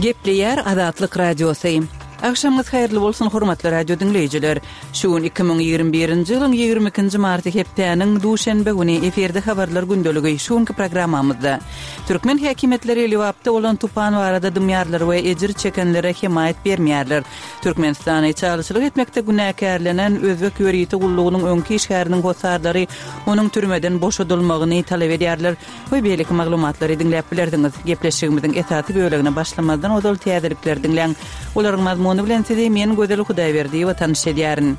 Gepleýär Azatlyk Radiosy. Agşamyňyz haýyrly bolsun, hormatly radio diňleýjiler. Şu gün 2021-nji ýylyň 22-nji marty hepdäniň duşenbe güni efirde habarlar gündeligi şu günki programmamyzda. Türkmen häkimiýetleri Lebapda bolan tupan barada dymýarlar we ejir çekenlere hemaýat bermeýärler. Türkmenistany çalyşlyk etmekde günäkärlenen özbek ýörite gullugynyň öňki işgäriniň hossarlary onuň türmeden boşadylmagyny talap edýärler we beýleki maglumatlary diňläp bilersiňiz. Gepleşigimiziň esasy bölegine başlamazdan ozal täzelikleri diňläň. Olaryň mazmuny bilen sizi men Gözel Hudaýberdiýewa tanyş edýärin.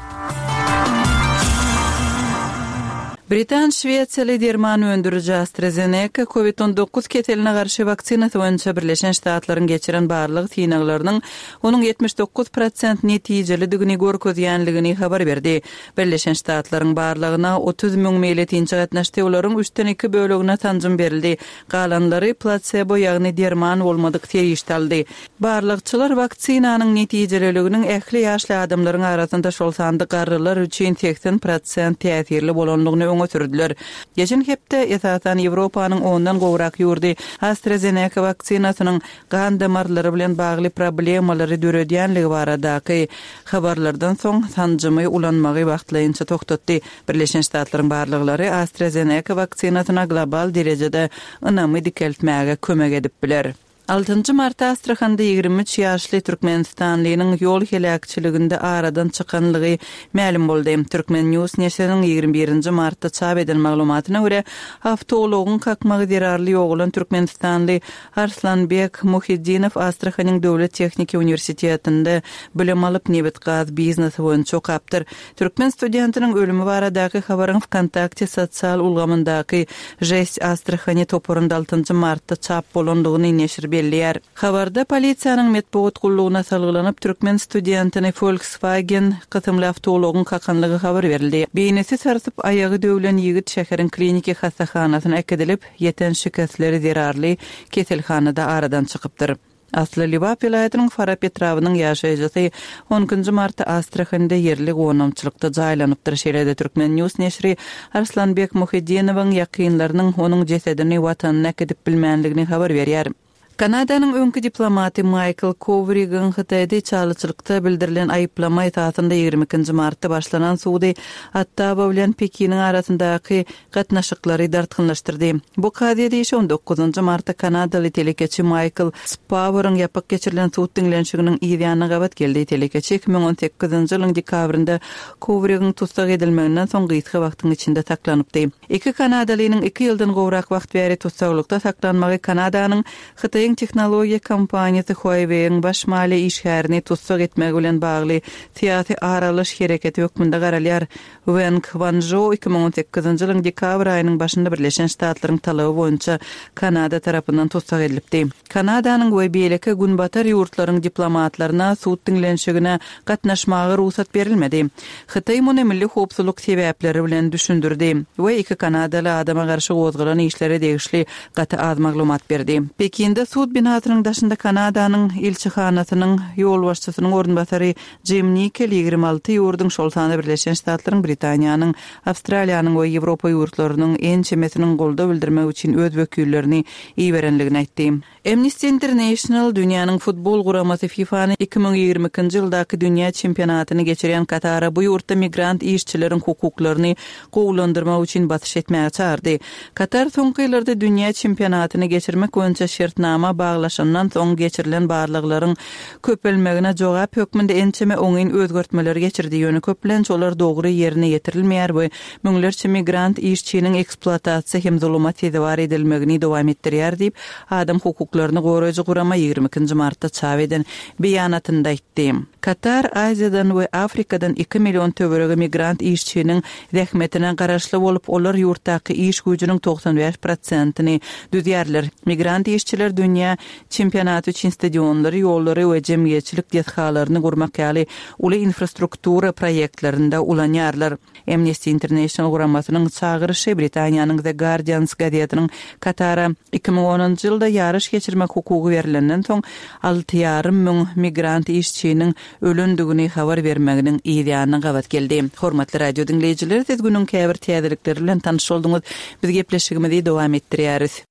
Britan şwesiýaly derman öndüriji AstraZeneca Covid 19 keseline garşy waksinasy boýunça Birleşen Ştatlaryň geçiren barlag synaglarynyň onuň 79 prosent netijelidigini görkezýänligini habar berdi. Birleşen Ştatlaryň barlagyna 30 müň meýletinçi gatnaşdy, olaryň üçden iki bölegine sanjym berildi. Galanlary plasebo, ýagny derman bolmadyk serişde aldy. Barlagçylar waksinanyň netijeliliginiň ähli ýaşly adamlaryň arasynda, şol sanda garrylar üçin 80 prosent täsirli bolandygyny öňe sürdüler. Geçen hepde, esasan, Ýewropanyň ondan gowrak ýurdy AstraZeneca waksinasynyň gan damarlary bilen bagly problemalary döredýänligi baradaky habarlardan soň, sanjymy ulanmagy wagtlaýynça togtatdy. Birleşen Ştatlaryň barlaglary AstraZeneca waksinasyna global derejede ynamy dikeltmäge kömek edip biler. Altynjy martda Astrahanda 23 ýaşly türkmenistanlynyň ýol heläkçiliginde aradan çykanlygy mälim boldy. Turkmen. News neşiriniň 21-nji martda çap eden maglumatyna görä, awtoulagyň kakmagy zerarly ýogalan türkmenistanly Arslanbek Muhiddinow Astrahanyň döwlet tehniki uniwersitetinde bilim alyp, nebit-gaz biznesi boýunça okapdyr. Türkmen studentiniň ölümi baradaky habaryň Wkontakte sosial ulgamyndaky Žest Astrahani toparynda altynjy martda çap bolandygyny neşir belleýär. Habarda polisiýanyň metbugat gullugyna salgylanyp, türkmen studentini Volkswagen kysymly awtoulagyň kakanlygy habar berildi. Beýnisi sarsyp, aýagy döwlen ýigit şäheriň kliniki hassahanasyna äkidilip, ýeten şikesleri zerarly keselhanada aradan çykypdyr. Asly Lebap welaýatynyň Farap etrabynyň ýaşaýjysy on ikinji martda Astrahanda ýerli gonamçylykda jaýlanypdyr. Şeýle-de Turkmen. News neşiri Arslanbek Muhiddinowyň ýakynlarynyň onuň jesedini watanyna äkidip bilmänligini habar berýär. Kanadanyň öňki diplomaty Maýkl Kowrigiň Hytaýda içalyçylykda bildirilen aýyplama esasynda 22-nji martda başlanan sudy Ottawa bilen Pekiniň arasyndaky gatnaşyklary dartgynlaşdyrdy. Bu kazyýet işi on dokuzynjy martda kanadaly telekeçi Maýkl Spaworyň ýapyk geçirilen sud diňlenişiginiň yz ýanyna gabat geldi. Telekeçi 2018-nji ýylyň dekabrynda Kowrigiň tussag edilmeginden soň gysga wagtyň içinde saklanypdy. Iki kanadalynyň iki ýyldan gowrak wagt bäri tussaglykda saklanmagy Kanadanyň Hytaýyň tehnologiýa kompaniýasy Huawei-iň baş maliýe işgärini tussag etmegi bilen bagly syýasy ar alyş hereketi hökmünde garalýar. Weng Wanžou 2018-nji ýylyň dekabr aýynyň başynda Birleşen Ştatlaryň talaby boýunça Kanada tarapyndan tussag edilipdi. Kanadanyň we beýleki günbatar ýurtlaryň diplomatlaryna sud diňlenişigine gatnaşmaga rugsat berilmedi. Hytaý muny milli howpsuzlyk sebäpleri bilen düşündirdi we iki kanadaly adama garşy gozgalan işlere degişli gaty az maglumat berdi. Pekinde sud binasynyň daşynda Kanadanyň ilçihanasynyň ýolbaşçysynyň orunbasary Jim Nikel 26 ýurduň, şol sanda Birleşen Ştatlaryň, Britaniýanyň, Awstraliýanyň we Ýewropa ýurtlarynyň ençemesiniň goldaw bildirmek üçin öz wekillerini iberenligini aýtdy. Amnesty International dünýäniň futbol guramasy FIFA-ny 2022-nji ýyldaky dünýä çempionatyny geçirýän Katara bu ýurtda migrant işçileriň hukuklaryny gowulandyrmak üçin basyş etmäge çagyrdy. Katar soňky ýyllarda dünýä çempionatyny geçirmek boýunça şertnama baglaşandan soň geçirilen barlaglaryň köpelmegine jogap hökmünde ençeme oňyn özgertmeleri geçirdi, ýöne köplenç olar dogry ýerine ýetirilmeýär we müňlerçe migrant işçiniň ekspluatasiýa hem zuluma sezewar edilmegini dowam etdirýär diýip, adam hukuklaryny goraýjy gurama 22-nji martda çap eden beýanatynda aýtdy. Katar Aziýadan we Afrikadan iki million töweregi migrant işçiniň zähmetine garaşly bolup, olar ýurtdaky iş güýjüniň 95 prosentini düzýärler. Migrant işçiler dünýä Çempionaty üçin stadionlary, ýollary we jemgyýetçilik desgalaryny gurmak ýaly uly infrastruktura proýektlerinde ulanýarlar. Amnesty International guramasynyň çagyryşy Britaniýanyň The Guardians gazetiniň Katara 2010-njy ýylda ýaryş geçirmek hukugy berlenden soň alty ýarym müň migrant işçiniň ölendigini habar bermeginiň yz ýanyna gabat geldi. Hormatly radio diňleýjiler, siz günüň käbir täzelikleri bilen tanyş bolduňyz. Biz gepleşigimizi dowam etdirýäris.